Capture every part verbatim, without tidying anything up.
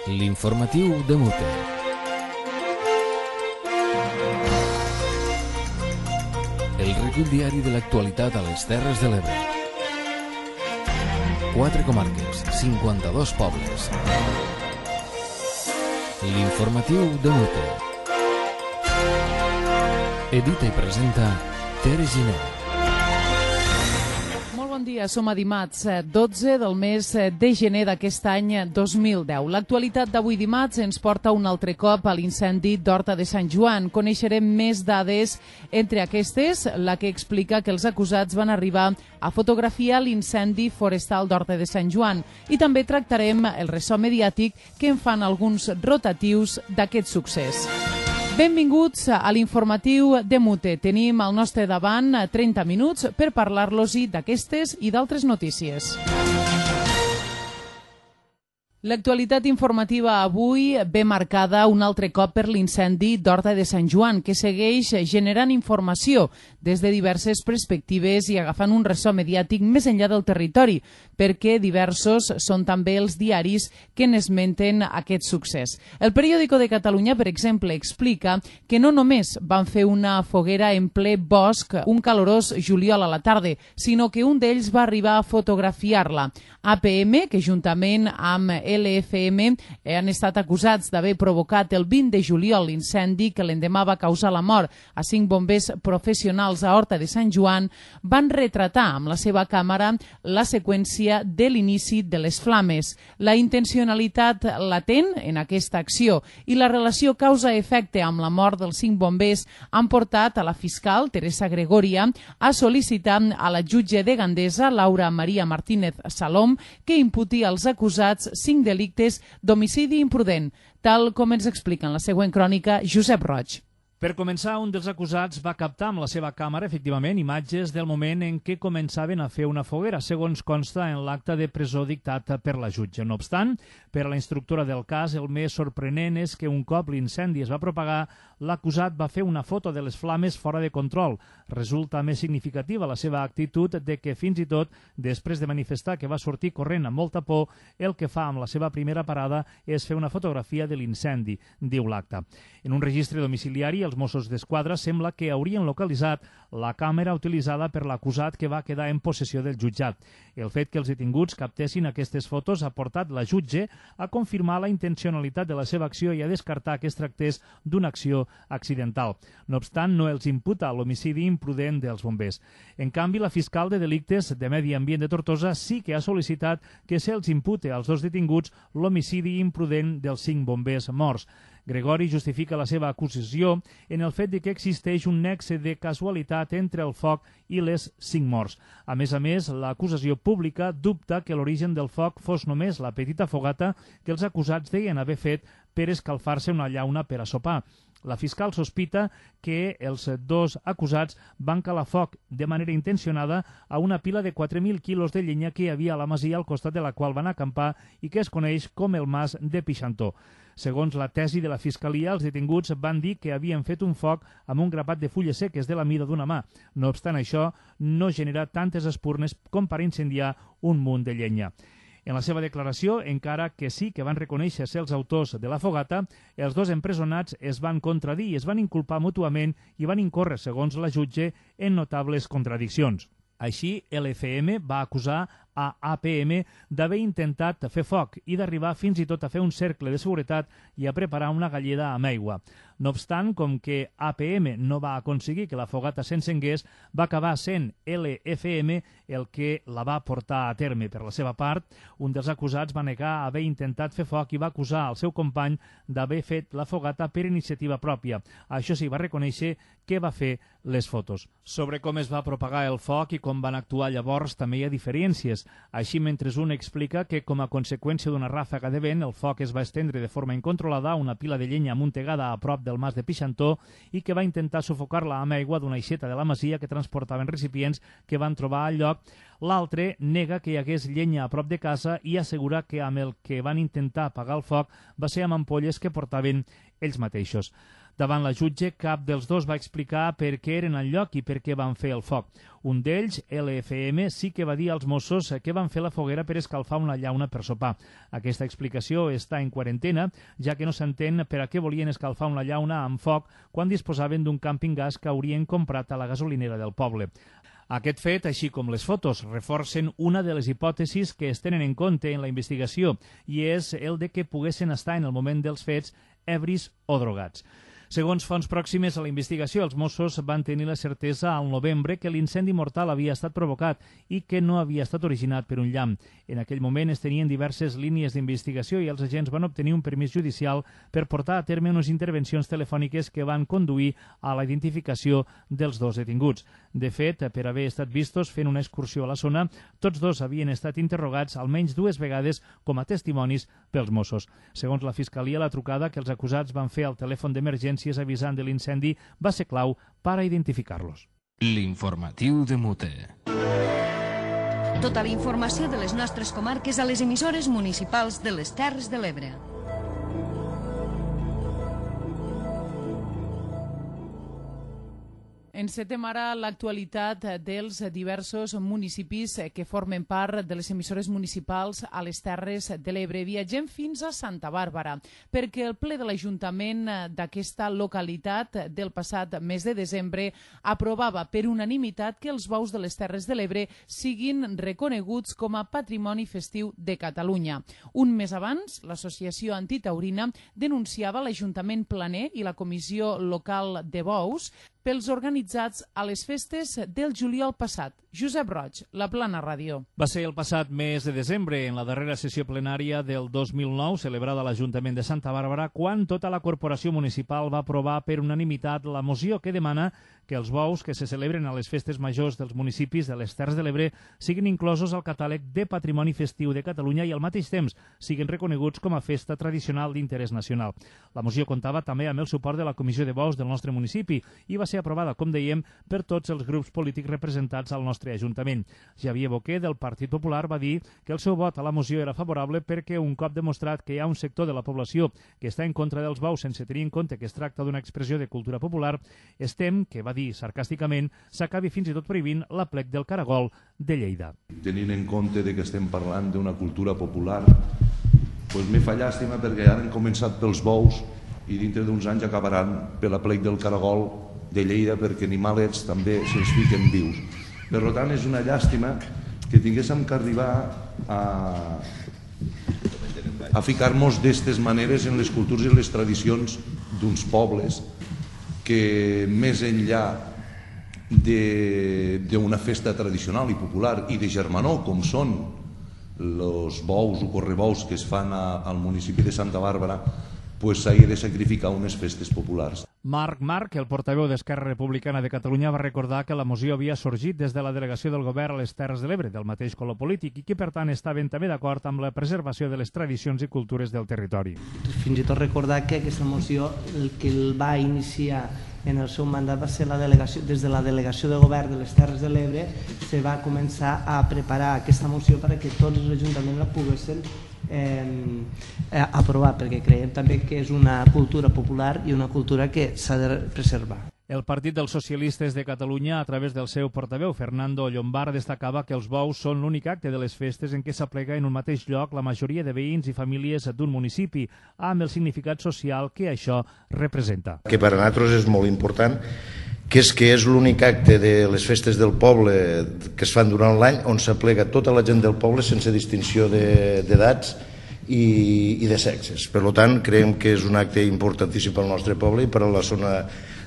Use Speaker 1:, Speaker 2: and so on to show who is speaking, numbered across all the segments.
Speaker 1: L'informatiu de Mute. El recull diari de l'actualitat a les Terres de l'Ebre. Quatre comarques, cinquanta-dos pobles. L'informatiu de Mute. Edita i presenta Tere Giner.
Speaker 2: Bon dia, som a dimarts dotze del mes de gener d'aquest any dos mil deu. L'actualitat d'avui dimarts ens porta un altre cop a l'incendi d'Horta de Sant Joan. Coneixerem més dades, entre aquestes, la que explica que els acusats van arribar a fotografiar l'incendi forestal d'Horta de Sant Joan. I també tractarem el ressò mediàtic que en fan alguns rotatius d'aquest succés. Benvinguts a l'informatiu de Mute. Tenim al nostre davant trenta minuts per parlar-los-hi d'aquestes i d'altres notícies. L'actualitat informativa avui ve marcada un altre cop per l'incendi d'Horta de Sant Joan, que segueix generant informació des de diverses perspectives i agafant un ressò mediàtic més enllà del territori, perquè diversos són també els diaris que n'esmenten aquest succés. El Periódico de Catalunya, per exemple, explica que no només van fer una foguera en ple bosc un calorós juliol a la tarda, sinó que un d'ells va arribar a fotografiar-la. A P M, que juntament amb L F M han estat acusats d'haver provocat el vint de juliol l'incendi que l'endemà va causar la mort a cinc bombers professionals a Horta de Sant Joan, van retratar amb la seva càmera la seqüència de l'inici de les flames. La intencionalitat latent en aquesta acció i la relació causa-efecte amb la mort dels cinc bombers han portat a la fiscal Teresa Gregoria a sol·licitar a la jutge de Gandesa, Laura Maria Martínez Salom, que imputi als acusats cinc delictes d'homicidi imprudent, tal com ens explica en la següent crònica Josep Roig.
Speaker 3: Per començar, un dels acusats va captar amb la seva càmera, efectivament, imatges del moment en què començaven a fer una foguera, segons consta en l'acte de presó dictat per la jutge. No obstant, per a la instructora del cas, el més sorprenent és que un cop l'incendi es va propagar, l'acusat va fer una foto de les flames fora de control. Resulta més significativa la seva actitud de que fins i tot, després de manifestar que va sortir corrent amb molta por, el que fa amb la seva primera parada és fer una fotografia de l'incendi, diu l'acte. En un registre domiciliari, els Mossos d'Esquadra sembla que haurien localitzat la càmera utilitzada per l'acusat que va quedar en possessió del jutjat. El fet que els detinguts captessin aquestes fotos ha portat la jutge a confirmar la intencionalitat de la seva acció i a descartar que es tractés d'una acció accidental. No obstant, no els imputa l'homicidi imprudent dels bombers. En canvi, la fiscal de delictes de Medi Ambient de Tortosa sí que ha sol·licitat que se'ls impute als dos detinguts l'homicidi imprudent dels cinc bombers morts. Gregori justifica la seva acusació en el fet de que existeix un nexe de casualitat entre el foc i les cinc morts. A més a més, l'acusació pública dubta que l'origen del foc fos només la petita fogata que els acusats deien haver fet per escalfar-se una llauna per a sopar. La fiscal sospita que els dos acusats van calar foc de manera intencionada a una pila de quatre mil quilos de llenya que hi havia a la masia al costat de la qual van acampar i que es coneix com el Mas de Pixantó. Segons la tesi de la Fiscalia, els detinguts van dir que havien fet un foc amb un grapat de fulles seques de la mida d'una mà. No obstant això, no genera tantes espurnes com per incendiar un munt de llenya. En la seva declaració, encara que sí que van reconèixer ser els autors de la fogata, els dos empresonats es van contradir i es van inculpar mútuament i van incórrer, segons la jutge, en notables contradiccions. Així, L F M va acusar a A P M d'haver intentat fer foc i d'arribar fins i tot a fer un cercle de seguretat i a preparar una galleda amb aigua. No obstant, com que A P M no va aconseguir que la fogata s'encengués, va acabar sent L F M el que la va portar a terme. Per la seva part, un dels acusats va negar haver intentat fer foc i va acusar el seu company d'haver fet la fogata per iniciativa pròpia. Això sí, va reconèixer que va fer les fotos. Sobre com es va propagar el foc i com van actuar llavors també hi ha diferències. Així, mentre un explica que com a conseqüència d'una ràfaga de vent el foc es va estendre de forma incontrolada a una pila de llenya amuntegada a prop del Mas de Pixantó i que va intentar sufocar-la amb aigua d'una aixeta de la masia que transportaven recipients que van trobar al lloc. L'altre nega que hi hagués llenya a prop de casa i assegura que amb el que van intentar apagar el foc va ser amb ampolles que portaven ells mateixos. Davant la jutge, cap dels dos va explicar per què eren al lloc i per què van fer el foc. Un d'ells, L F M, sí que va dir als Mossos que van fer la foguera per escalfar una llauna per sopar. Aquesta explicació està en quarantena, ja que no s'entén per a què volien escalfar una llauna amb foc quan disposaven d'un càmping gas que haurien comprat a la gasolinera del poble. Aquest fet, així com les fotos, reforcen una de les hipòtesis que es tenen en compte en la investigació, i és el de que poguessin estar en el moment dels fets ebris o drogats. Segons fonts pròximes a la investigació, els Mossos van tenir la certesa al novembre que l'incendi mortal havia estat provocat i que no havia estat originat per un llamp. En aquell moment es tenien diverses línies d'investigació i els agents van obtenir un permís judicial per portar a terme unes intervencions telefòniques que van conduir a la identificació dels dos detinguts. De fet, per haver estat vistos fent una excursió a la zona, tots dos havien estat interrogats almenys dues vegades com a testimonis pels Mossos. Segons la Fiscalia, la trucada que els acusats van fer al telèfon d'emergència avisant de l'incendi va ser clau per a identificar-los.
Speaker 1: L'informatiu de Mute.
Speaker 4: Tota la informació de les nostres comarques a les emissores municipals de les Terres de l'Ebre.
Speaker 2: Encetem ara l'actualitat dels diversos municipis que formen part de les emissores municipals a les Terres de l'Ebre. Viatgem fins a Santa Bàrbara, perquè el ple de l'Ajuntament d'aquesta localitat del passat mes de desembre aprovava per unanimitat que els bous de les Terres de l'Ebre siguin reconeguts com a patrimoni festiu de Catalunya. Un mes abans, l'Associació Antitaurina denunciava l'Ajuntament Planer i la Comissió Local de Bous pels organitzats a les festes del juliol passat. Josep Roig, La Plana Ràdio.
Speaker 3: Va ser el passat mes de desembre, en la darrera sessió plenària del dos mil nou, celebrada a l'Ajuntament de Santa Bàrbara, quan tota la corporació municipal va aprovar per unanimitat la moció que demana que els bous que se celebren a les festes majors dels municipis de les Terres de l'Ebre siguin inclosos al catàleg de Patrimoni Festiu de Catalunya i al mateix temps siguin reconeguts com a festa tradicional d'interès nacional. La moció comptava també amb el suport de la Comissió de Bous del nostre municipi i va ser aprovada, com dèiem, per tots els grups polítics representats al nostre Ajuntament. Xavier Boquer, del Partit Popular, va dir que el seu vot a la moció era favorable perquè un cop demostrat que hi ha un sector de la població que està en contra dels bous sense tenir en compte que es tracta d'una expressió de cultura popular, es tem que, va dir sarcàsticament, s'acabi fins i tot prohibint l'aplec del caragol de Lleida.
Speaker 5: Tenint en compte que estem parlant d'una cultura popular, doncs me fa llàstima perquè ara han començat pels bous i dintre d'uns anys acabaran per l'aplec del caragol de Lleida perquè animalets també se'ls fiquen vius. Per tant, és una llàstima que tinguéssim que arribar a, a ficar-nos d'aquestes maneres en les cultures i les tradicions d'uns pobles que més enllà d'una festa tradicional i popular i de germanor, com són els bous o correbous que es fan al municipi de Santa Bàrbara, s'hagi de sacrificar unes festes populars.
Speaker 3: Marc Marc, el portaveu d'Esquerra Republicana de Catalunya, va recordar que la moció havia sorgit des de la delegació del govern a les Terres de l'Ebre, del mateix color polític, i que per tant estaven també d'acord amb la preservació de les tradicions i cultures del territori.
Speaker 6: Fins i tot recordar que aquesta moció el que el va iniciar en el seu mandat va ser la delegació, des de la delegació de govern de les Terres de l'Ebre se va començar a preparar aquesta moció perquè tots els ajuntaments la poguessin Eh, aprovar, perquè creiem també que és una cultura popular i una cultura que s'ha de preservar.
Speaker 3: El Partit dels Socialistes de Catalunya, a través del seu portaveu, Fernando Llombard, destacava que els bous són l'únic acte de les festes en què s'aplega en un mateix lloc la majoria de veïns i famílies d'un municipi, amb el significat social que això representa.
Speaker 7: Que per a nosaltres és molt important, que és que és l'únic acte de les festes del poble que es fan durant l'any on s'aplega tota la gent del poble sense distinció d'edats i, i de sexes. Per tant, creiem que és un acte importantíssim pel nostre poble i per a la zona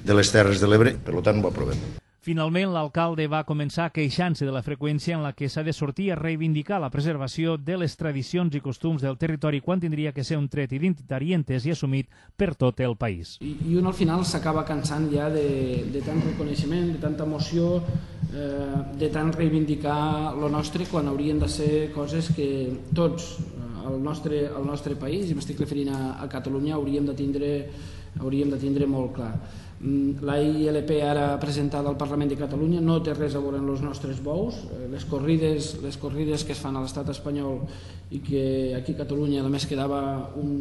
Speaker 7: de les Terres de l'Ebre, per tant ho aprovem.
Speaker 3: Finalment, l'alcalde va començar queixant-se de la freqüència en la que s'ha de sortir a reivindicar la preservació de les tradicions i costums del territori quan tindria que ser un tret identitari entès i assumit per tot el país.
Speaker 8: I, i un al final s'acaba cansant ja de, de tant reconeixement, de tanta emoció, eh, de tant reivindicar lo nostre quan haurien de ser coses que tots al nostre, al nostre país, i m'estic referint a, a Catalunya, hauríem de tindre, hauríem de tindre molt clar. La I L P ara presentada al Parlament de Catalunya no té res a veure amb els nostres bous. Les corrides, les corrides que es fan a l'estat espanyol i que aquí a Catalunya només quedava un,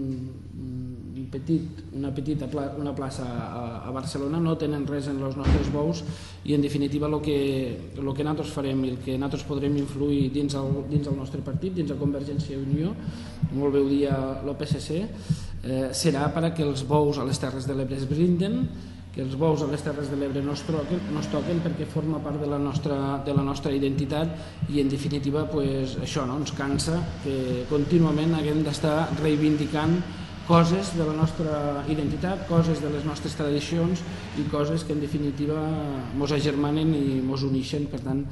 Speaker 8: un petit, una petita pla, una plaça a, a Barcelona, no tenen res en els nostres bous i en definitiva el que, el que nosaltres farem i el que nosaltres podrem influir dins el, dins el nostre partit, dins la Convergència i Unió, molt bé ho dia el P S C, eh, serà perquè els bous a les Terres de l'Ebre es blinden, que els bous a les Terres de l'Ebre no es toquen, no es toquen perquè forma part de la nostra, de la nostra identitat i en definitiva pues, això no, ens cansa que contínuament haguem d'estar reivindicant coses de la nostra identitat, coses de les nostres tradicions i coses que en definitiva mos agermanen i mos uneixen. Per tant,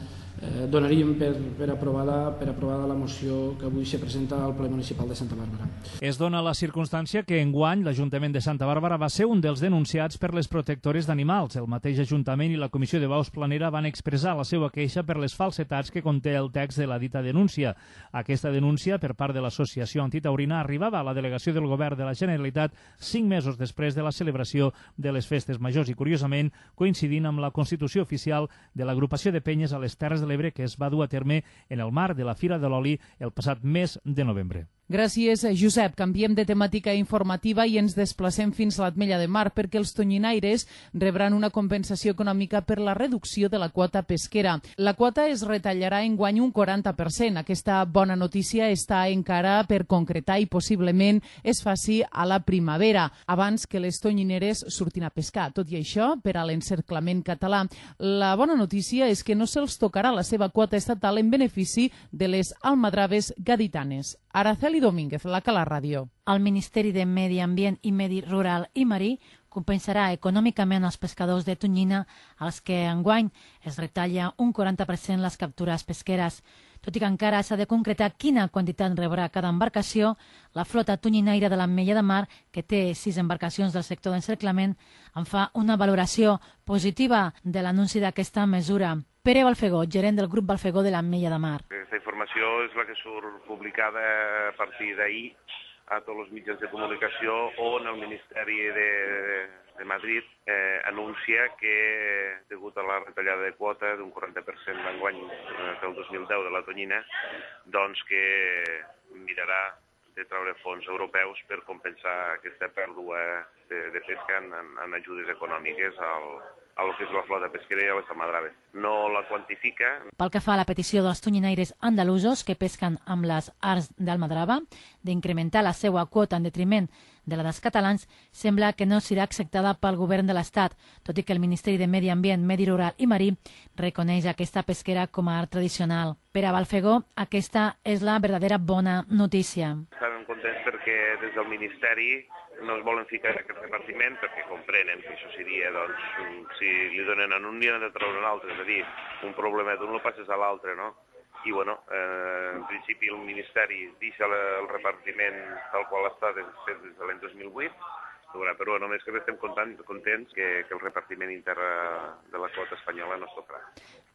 Speaker 8: eh, donaríem per, per, aprovada, per aprovada la moció que avui se presenta al ple municipal de Santa Bàrbara.
Speaker 3: Es dona la circumstància que enguany l'Ajuntament de Santa Bàrbara va ser un dels denunciats per les protectores d'animals. El mateix Ajuntament i la Comissió de Baus Planera van expressar la seva queixa per les falsetats que conté el text de la dita denúncia. Aquesta denúncia, per part de l'Associació Antitaurina, arribava a la delegació del Govern de la Generalitat cinc mesos després de la celebració de les festes majors i, curiosament, coincidint amb la constitució oficial de l'agrupació de penyes a les Terres de l'Ebre que es va dur a terme en el marc de la Fira de l'Oli el passat mes de novembre.
Speaker 2: Gràcies, Josep. Canviem de temàtica informativa i ens desplacem fins a l'Ametlla de Mar perquè els tonyinaires rebran una compensació econòmica per la reducció de la quota pesquera. La quota es retallarà enguany un quaranta per cent. Aquesta bona notícia està encara per concretar i possiblement es faci a la primavera, abans que les tonyineres surtin a pescar. Tot i això, per a l'encerclament català, la bona notícia és que no se'ls tocarà la seva quota estatal en benefici de les almadraves gaditanes. Araceli Domínguez, la Cala Ràdio.
Speaker 9: El Ministeri de Medi Ambient i Medi Rural i Marí compensarà econòmicament els pescadors de tonyina als que enguany es retalla un quaranta per cent les captures pesqueres. Tot i que encara s'ha de concretar quina quantitat rebrà cada embarcació, la flota tonyinaire de l'Ametlla de Mar, que té sis embarcacions del sector d'encerclament, en fa una valoració positiva de l'anunci d'aquesta mesura. Pere Balfegó, gerent del grup Balfegó de l'Ametlla de Mar.
Speaker 10: Aquesta informació és la que surt publicada a partir d'ahir a tots els mitjans de comunicació on el Ministeri de, de Madrid eh, anuncia que, degut a la retallada de quota d'un quaranta per cent d'enguany eh, del dos mil deu de la tonyina, doncs que mirarà de treure fons europeus per compensar aquesta pèrdua de, de pesca en, en ajudes econòmiques al, a lo que és la flota pesquera i a les almadraves. No la quantifica.
Speaker 9: Pel que fa a la petició dels tonyinaires andalusos que pesquen amb les arts d'almadrava d'incrementar la seva quota en detriment de la dels catalans, sembla que no serà acceptada pel govern de l'Estat, tot i que el Ministeri de Medi Ambient, Medi Rural i Marí reconeix aquesta pesquera com a art tradicional. Per a Balfegó, aquesta és la verdadera bona notícia.
Speaker 10: Estan contents perquè des del Ministeri no es volen ficar en aquest repartiment perquè comprenen que això seria, doncs, si li donen a un dia de treure un altre, és a dir, un problema d'un lo passes a l'altre, no? I, bueno, eh, en principi el Ministeri deixa el repartiment tal qual està des, des de l'any dos mil vuit, però només que estem contents que, que el repartiment intern de la quota espanyola no es tocarà.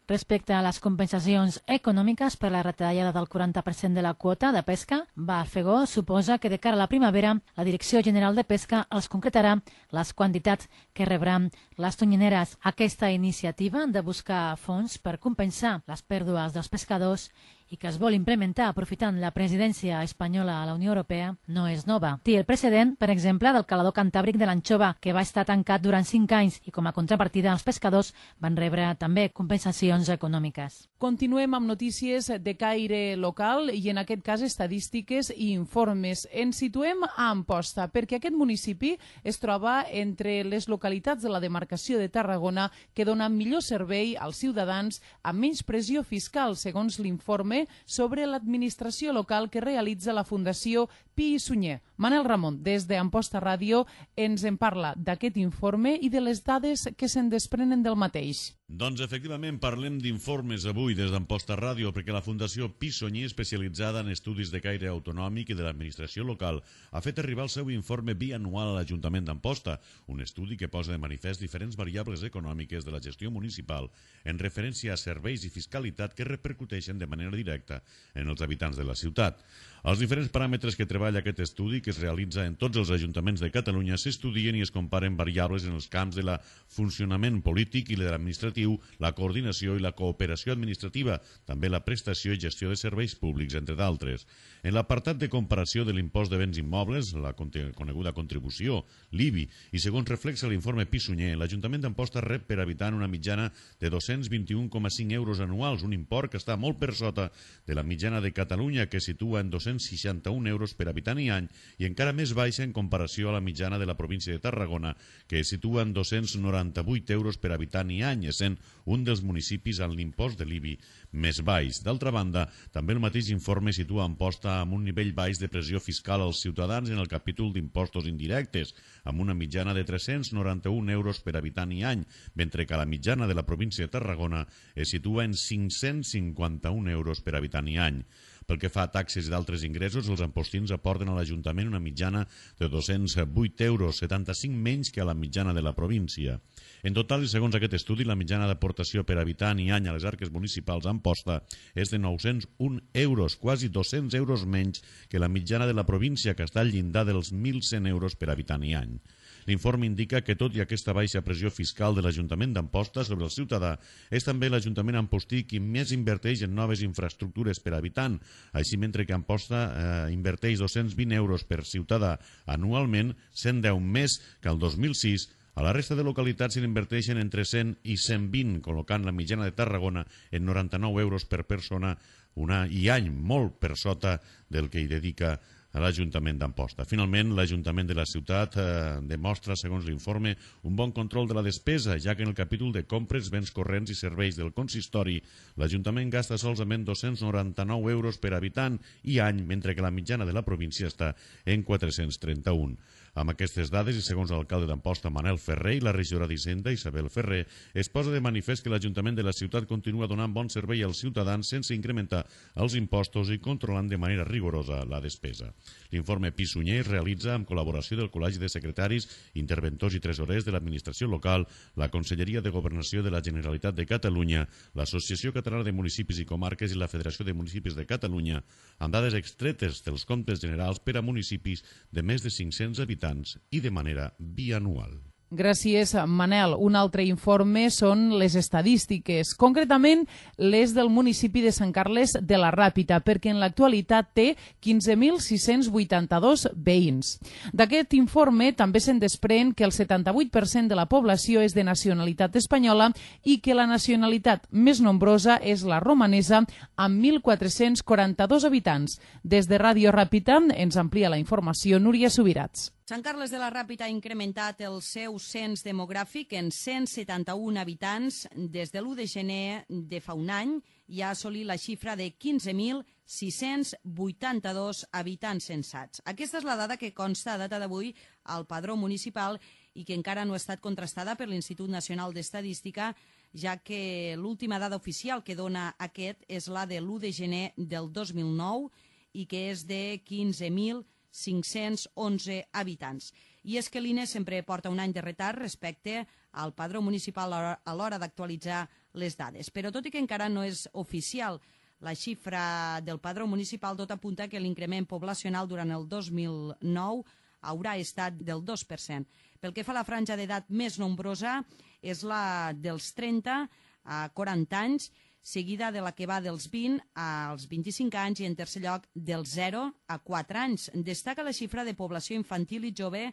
Speaker 9: Respecte a les compensacions econòmiques per la retallada del quaranta per cent de la quota de pesca, Balfegó suposa que de cara a la primavera la Direcció General de Pesca els concretarà les quantitats que rebran les tonyineres. Aquesta iniciativa de buscar fons per compensar les pèrdues dels pescadors i que es vol implementar aprofitant la presidència espanyola a la Unió Europea no és nova. Té el precedent, per exemple, del calador cantàbric de l'anxova, que va estar tancat durant cinc anys i com a contrapartida els pescadors van rebre també compensacions econòmiques.
Speaker 2: Continuem amb notícies de caire local i en aquest cas estadístiques i informes. Ens situem a Amposta perquè aquest municipi es troba entre les localitats de la demarcació de Tarragona que donen millor servei als ciutadans amb menys pressió fiscal, segons l'informe sobre l'administració local que realitza la Fundació Pi i Sunyer. Manel Ramon, des d'Amposta Ràdio, ens en parla d'aquest informe i de les dades que se'n desprenen del mateix.
Speaker 11: Doncs efectivament parlem d'informes avui des d'Amposta Ràdio perquè la Fundació Pi i Sunyer, especialitzada en estudis de caire autonòmic i de l'administració local, ha fet arribar el seu informe bianual a l'Ajuntament d'Amposta, un estudi que posa de manifest diferents variables econòmiques de la gestió municipal en referència a serveis i fiscalitat que repercuteixen de manera directa en els habitants de la ciutat. Els diferents paràmetres que treballa aquest estudi, que es realitza en tots els ajuntaments de Catalunya, s'estudien i es comparen variables en els camps de la funcionament polític i l'administratiu, la coordinació i la cooperació administrativa, també la prestació i gestió de serveis públics, entre d'altres. En l'apartat de comparació de l'impost de béns immobles, la coneguda contribució, l'I B I, i segons reflexa l'informe Pissunyer, l'Ajuntament d'Amposta rep per habitant una mitjana de dos-cents vint-i-un coma cinc euros anuals, un import que està molt per sota de la mitjana de Catalunya, que situa en dos-cents seixanta-un euros per habitant i any, i encara més baixa en comparació a la mitjana de la província de Tarragona, que es situa en dos-cents noranta-vuit euros per habitant i any, essent un dels municipis amb l'impost de l'I B I més baix. D'altra banda, també el mateix informe situa Amposta amb un nivell baix de pressió fiscal als ciutadans en el capítol d'impostos indirectes, amb una mitjana de tres-cents noranta-un euros per habitant i any, mentre que la mitjana de la província de Tarragona es situa en cinc-cents cinquanta-un euros per habitant i any. Pel que fa a taxes i d'altres ingressos, els ampostins aporten a l'Ajuntament una mitjana de dos-cents vuit euros, setanta-cinc menys que a la mitjana de la província. En total, i segons aquest estudi, la mitjana d'aportació per habitant i any a les arques municipals a Amposta és de nou-cents un euros, quasi dos-cents euros menys que la mitjana de la província, que està al llindar dels mil cent euros per habitant i any. L'informe indica que, tot i aquesta baixa pressió fiscal de l'Ajuntament d'Amposta sobre el ciutadà, és també l'Ajuntament ampostí qui més inverteix en noves infraestructures per habitant. Així, mentre que Amposta eh, inverteix dos-cents vint euros per ciutadà anualment, cent deu més que el dos mil sis, a la resta de localitats s'hi inverteixen entre cent i cent vint, col·locant la mitjana de Tarragona en noranta-nou euros per persona una, i any, molt per sota del que hi dedica a l'Ajuntament d'Amposta. Finalment, l'Ajuntament de la ciutat eh, demostra, segons l'informe, un bon control de la despesa, ja que en el capítol de compres, béns corrents i serveis del consistori, l'Ajuntament gasta solament dos-cents noranta-nou euros per habitant i any, mentre que la mitjana de la província està en quatre-cents trenta-un. Amb aquestes dades, i segons l'alcalde d'Amposta, Manel Ferrer, i la regidora d'Hisenda, Isabel Ferrer, es posa de manifest que l'Ajuntament de la ciutat continua donant bon servei als ciutadans sense incrementar els impostos i controlant de manera rigorosa la despesa. L'informe Pissunyer es realitza amb col·laboració del Col·legi de Secretaris, Interventors i Tresorers de l'Administració Local, la Conselleria de Governació de la Generalitat de Catalunya, l'Associació Catalana de Municipis i Comarques i la Federació de Municipis de Catalunya, amb dades extretes dels comptes generals per a municipis de més de cinc-cents habitants i de manera bianual.
Speaker 2: Gràcies, Manel. Un altre informe són les estadístiques, concretament les del municipi de Sant Carles de la Ràpita, perquè en l'actualitat té quinze mil sis-cents vuitanta-dos veïns. D'aquest informe també se'n desprèn que el setanta-vuit per cent de la població és de nacionalitat espanyola i que la nacionalitat més nombrosa és la romanesa, amb mil quatre-cents quaranta-dos habitants. Des de Ràdio Ràpita ens amplia la informació Núria Subirats.
Speaker 4: Sant Carles de la Ràpita ha incrementat el seu cens demogràfic en cent setanta-un habitants des de l'u de gener de fa un any i ha assolit la xifra de quinze mil sis-cents vuitanta-dos habitants censats. Aquesta és la dada que consta a data d'avui al padró municipal i que encara no ha estat contrastada per l'Institut Nacional d'Estadística, ja que l'última dada oficial que dona aquest és la de l'u de gener del dos mil nou i que és de quinze mil cinc-cents onze habitants. I és que l'I N E sempre porta un any de retard respecte al padró municipal a l'hora d'actualitzar les dades. Però tot i que encara no és oficial la xifra del padró municipal, tot apunta que l'increment poblacional durant el dos mil nou haurà estat del dos per cent. Pel que fa a la franja d'edat més nombrosa, és la dels trenta a quaranta anys, seguida de la que va dels vint als vint-i-cinc anys i, en tercer lloc, dels zero a quatre anys. Destaca la xifra de població infantil i jove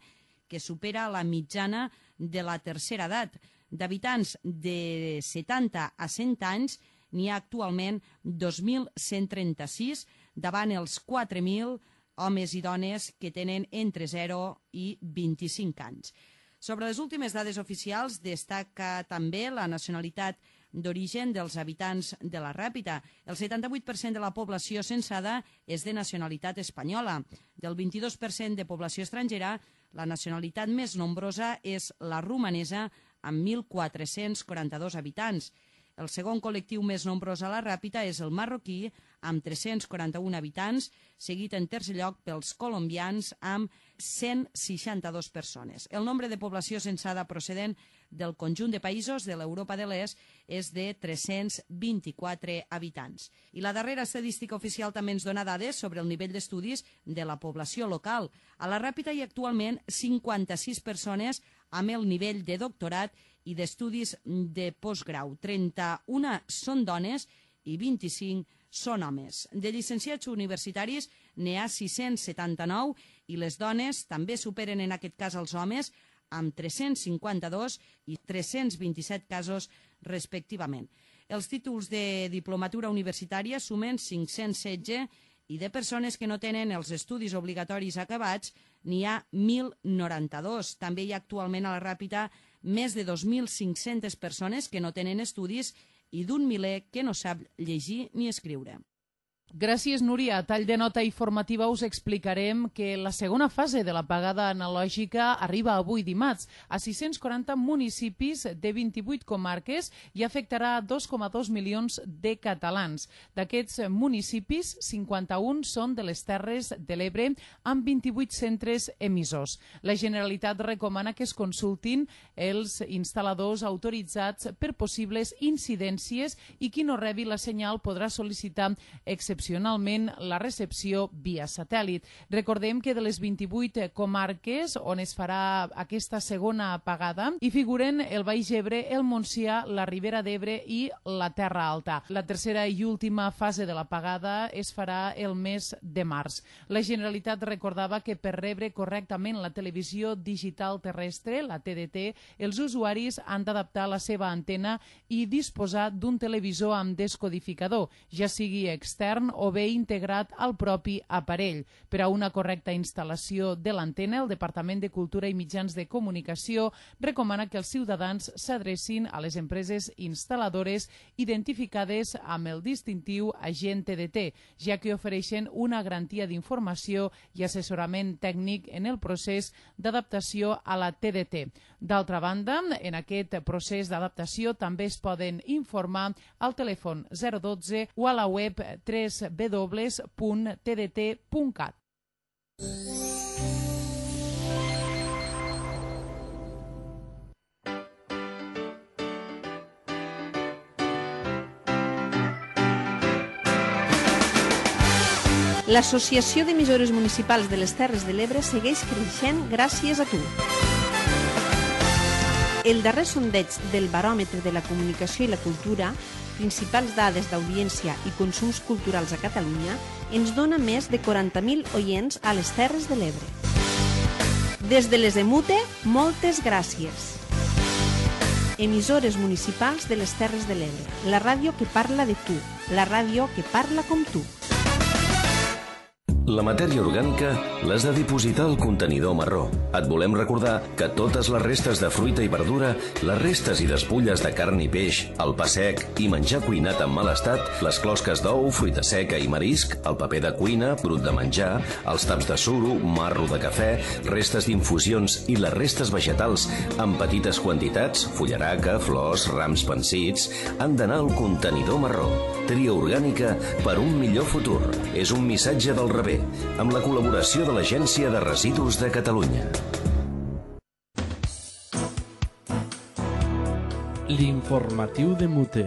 Speaker 4: que supera la mitjana de la tercera edat. D'habitants de setanta a cent anys, n'hi ha actualment dos mil cent trenta-sis, davant els quatre mil homes i dones que tenen entre zero i vint-i-cinc anys. Sobre les últimes dades oficials, destaca també la nacionalitat d'origen dels habitants de la Ràpita. El setanta-vuit per cent de la població censada és de nacionalitat espanyola. Del vint-i-dos per cent de població estrangera, la nacionalitat més nombrosa és la romanesa, amb mil quatre-cents quaranta-dos habitants. El segon col·lectiu més nombrós a la Ràpita és el marroquí, amb tres-cents quaranta-un habitants, seguit en tercer lloc pels colombians amb cent seixanta-dos persones. El nombre de població censada procedent del conjunt de països de l'Europa de l'Est és de tres-cents vint-i-quatre habitants. I la darrera estadística oficial també ens dona dades sobre el nivell d'estudis de la població local. A la Ràpita hi ha actualment cinquanta-sis persones amb el nivell de doctorat i d'estudis de postgrau. trenta-una són dones i vint-i-cinc són homes. De llicenciats universitaris n'hi ha sis-cents setanta-nou i les dones també superen en aquest cas els homes amb tres-cents cinquanta-dos i tres-cents vint-i-set casos respectivament. Els títols de diplomatura universitària sumen cinc-cents setze i de persones que no tenen els estudis obligatoris acabats n'hi ha mil noranta-dos. També hi ha actualment a la Ràpita més de dos mil cinc-centes persones que no tenen estudis i d'un miler que no sap llegir ni escriure.
Speaker 2: Gràcies, Núria. A tall de nota informativa us explicarem que la segona fase de la pagada analògica arriba avui dimarts a sis-cents quaranta municipis de vint-i-vuit comarques i afectarà dos coma dos milions de catalans. D'aquests municipis, cinquanta-un són de les Terres de l'Ebre amb vint-i-vuit centres emissors. La Generalitat recomana que es consultin els instal·ladors autoritzats per possibles incidències i qui no rebi la senyal podrà sol·licitar excepcions excepcionalment la recepció via satèl·lit. Recordem que de les vint-i-vuit comarques on es farà aquesta segona pagada hi figuren el Baix Ebre, el Montsià, la Ribera d'Ebre i la Terra Alta. La tercera i última fase de la pagada es farà el mes de març. La Generalitat recordava que per rebre correctament la televisió digital terrestre, la T D T, els usuaris han d'adaptar la seva antena i disposar d'un televisor amb descodificador, ja sigui extern o bé integrat al propi aparell. Per a una correcta instal·lació de l'antena, el Departament de Cultura i Mitjans de Comunicació recomana que els ciutadans s'adrecin a les empreses instal·ladores identificades amb el distintiu agent T D T, ja que ofereixen una garantia d'informació i assessorament tècnic en el procés d'adaptació a la T D T. D'altra banda, en aquest procés d'adaptació també es poden informar al telèfon zero dotze o a la web w w w punt t d t punt cat.
Speaker 12: L'Associació d'Emissores Municipals de les Terres de l'Ebre segueix creixent gràcies a tu. El darrer sondeig del Baròmetre de la Comunicació i la Cultura, principals dades d'audiència i consums culturals a Catalunya, ens dona més de quaranta mil oients a les Terres de l'Ebre. Des de les Emute, moltes gràcies. Emissores municipals de les Terres de l'Ebre, la ràdio que parla de tu, la ràdio que parla com tu.
Speaker 13: La matèria orgànica l'has de dipositar al contenidor marró. Et volem recordar que totes les restes de fruita i verdura, les restes i despulles de carn i peix, el pa sec i menjar cuinat en mal estat, les closques d'ou, fruita seca i marisc, el paper de cuina, brut de menjar, els taps de suro, marro de cafè, restes d'infusions i les restes vegetals en petites quantitats, fullaraca, flors, rams pansits, han d'anar al contenidor marró. Tria orgànica per un millor futur. És un missatge del rebé, amb la col·laboració de l'Agència de Residus de Catalunya.
Speaker 14: L'informatiu de Mute.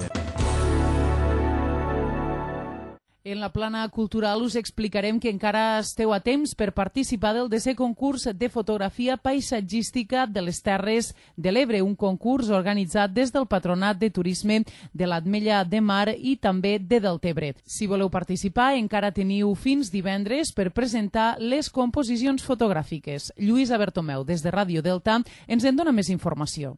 Speaker 2: En la plana cultural us explicarem que encara esteu a temps per participar del desè concurs de fotografia paisatgística de les Terres de l'Ebre, un concurs organitzat des del Patronat de Turisme de l'Ametlla de Mar i també de Deltebre. Si voleu participar, encara teniu fins divendres per presentar les composicions fotogràfiques. Lluïsa Bertomeu, des de Ràdio Delta, ens en dona més informació.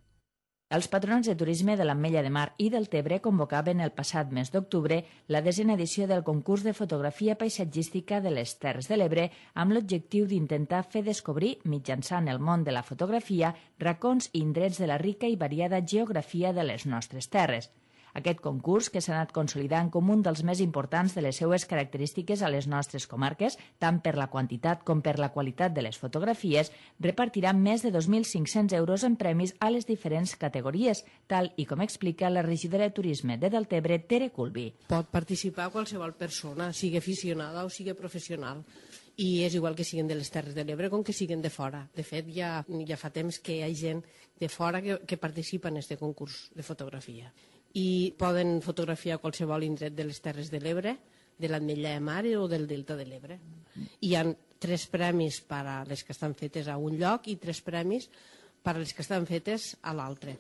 Speaker 15: Els patronats de turisme de l'Ametlla de Mar i del Tebre convocaven el passat mes d'octubre la desena edició del concurs de fotografia paisatgística de les Terres de l'Ebre amb l'objectiu d'intentar fer descobrir, mitjançant el món de la fotografia, racons i indrets de la rica i variada geografia de les nostres terres. Aquest concurs, que s'ha anat consolidant com un dels més importants de les seues característiques a les nostres comarques, tant per la quantitat com per la qualitat de les fotografies, repartirà més de dos mil cinc-cents euros en premis a les diferents categories, tal i com explica la regidora de Turisme de Deltebre, Tere Culbi.
Speaker 16: Pot participar qualsevol persona, sigui aficionada o sigui professional. I és igual que siguin de les Terres de l'Ebre com que siguin de fora. De fet, ja, ja fa temps que hi ha gent de fora que, que participa en aquest concurs de fotografia. I poden fotografiar qualsevol indret de les Terres de l'Ebre, de l'Ametlla de Mar o del Delta de l'Ebre. Hi ha tres premis per a les que estan fetes a un lloc i tres premis per a les que estan fetes a l'altre.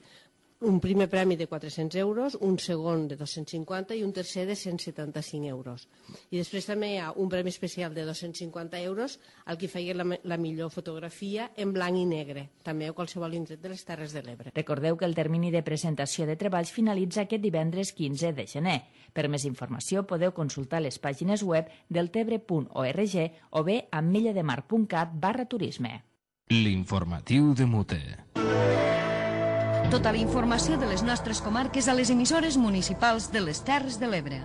Speaker 16: Un primer premi de quatre-cents euros, un segon de dos-cents cinquanta i un tercer de cent setanta-cinc euros. I després també hi ha un premi especial de dos-cents cinquanta euros al que feia la, la millor fotografia en blanc i negre, també a qualsevol indret de les Terres de l'Ebre.
Speaker 15: Recordeu que el termini de presentació de treballs finalitza aquest divendres quinze de gener. Per més informació podeu consultar les pàgines web deltebre punt org o bé ametlla-de-mar punt cat barra turisme.
Speaker 1: L'informatiu de Mute.
Speaker 17: Tota la informació de les nostres comarques a les emissores municipals de les Terres de l'Ebre.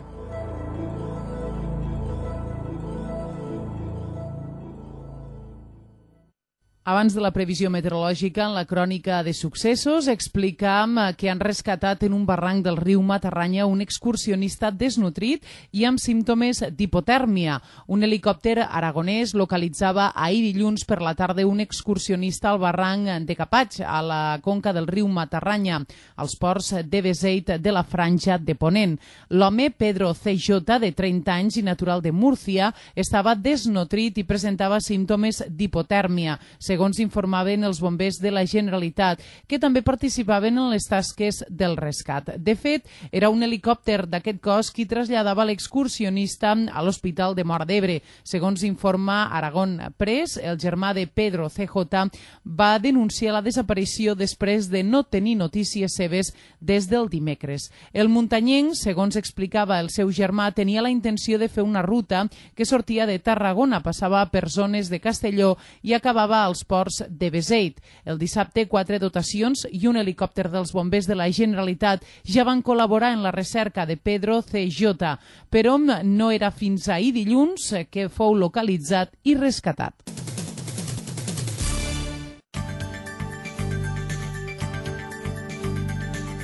Speaker 2: Abans de la previsió meteorològica, en la crònica de successos, explicam que han rescatat en un barranc del riu Matarranya un excursionista desnutrit i amb símptomes d'hipotèrmia. Un helicòpter aragonès localitzava ahir dilluns per la tarda un excursionista al barranc de Capatx, a la conca del riu Matarranya, als ports de Beseit de la Franja de Ponent. L'home, Pedro C J, de trenta anys i natural de Múrcia, estava desnutrit i presentava símptomes d'hipotèrmia, segons informaven els bombers de la Generalitat, que també participaven en les tasques del rescat. De fet, era un helicòpter d'aquest cos qui traslladava l'excursionista a l'Hospital de Móra d'Ebre. Segons informa Aragón Press, el germà de Pedro C J va denunciar la desaparició després de no tenir notícies seves des del dimecres. El muntanyenc, segons explicava el seu germà, tenia la intenció de fer una ruta que sortia de Tarragona, passava per zones de Castelló i acabava als ports de Beseit. El dissabte, quatre dotacions i un helicòpter dels bombers de la Generalitat ja van col·laborar en la recerca de Pedro C J, però no era fins ahir dilluns que fou localitzat i rescatat.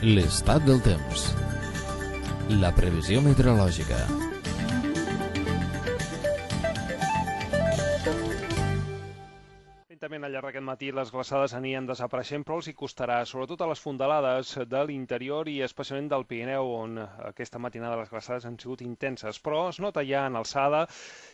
Speaker 1: L'estat del temps. La previsió meteorològica.
Speaker 18: Al llarg d'aquest matí les glaçades anirien desapareixent, però els hi costarà, sobretot a les fondalades de l'interior i especialment del Pirineu, on aquesta matinada les glaçades han sigut intenses, però es nota ja en alçada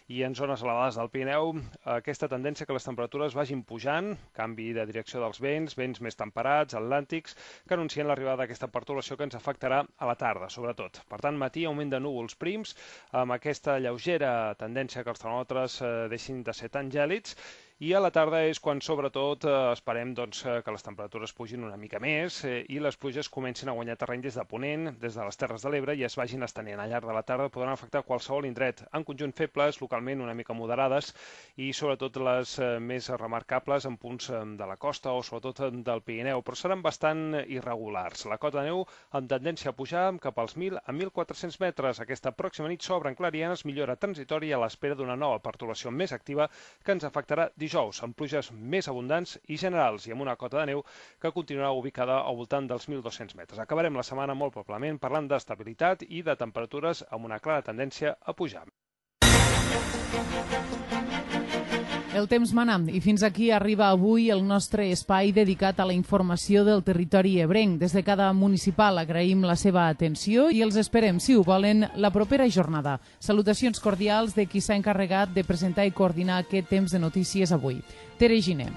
Speaker 18: i en zones elevades del Pirineu aquesta tendència que les temperatures vagin pujant, canvi de direcció dels vents, vents més temperats, atlàntics, que anuncien l'arribada d'aquesta pertorbació que ens afectarà a la tarda, sobretot. Per tant, matí augment de núvols prims, amb aquesta lleugera tendència que els termòmetres deixin de ser tan gèlids, i a la tarda és quan, sobretot, esperem doncs, que les temperatures pugin una mica més i les pluges comencin a guanyar terreny des de Ponent, des de les Terres de l'Ebre, i es vagin estenent. Al llarg de la tarda podran afectar qualsevol indret, en conjunt febles, localment una mica moderades, i sobretot les més remarcables en punts de la costa o sobretot del Pirineu, però seran bastant irregulars. La cota de neu amb tendència a pujar cap als mil a mil quatre-cents metres. Aquesta pròxima nit s'obren clarianes, millora transitòria a l'espera d'una nova pertorbació més activa que ens afectarà dijous, amb pluges més abundants i generals i amb una cota de neu que continuarà ubicada al voltant dels mil dos-cents metres. Acabarem la setmana molt probablement parlant d'estabilitat i de temperatures amb una clara tendència a pujar.
Speaker 2: El temps mana i fins aquí arriba avui el nostre espai dedicat a la informació del territori ebrenc. Des de cada municipal agraïm la seva atenció i els esperem, si ho volen, la propera jornada. Salutacions cordials de qui s'ha encarregat de presentar i coordinar aquest temps de notícies avui. Tere Giner.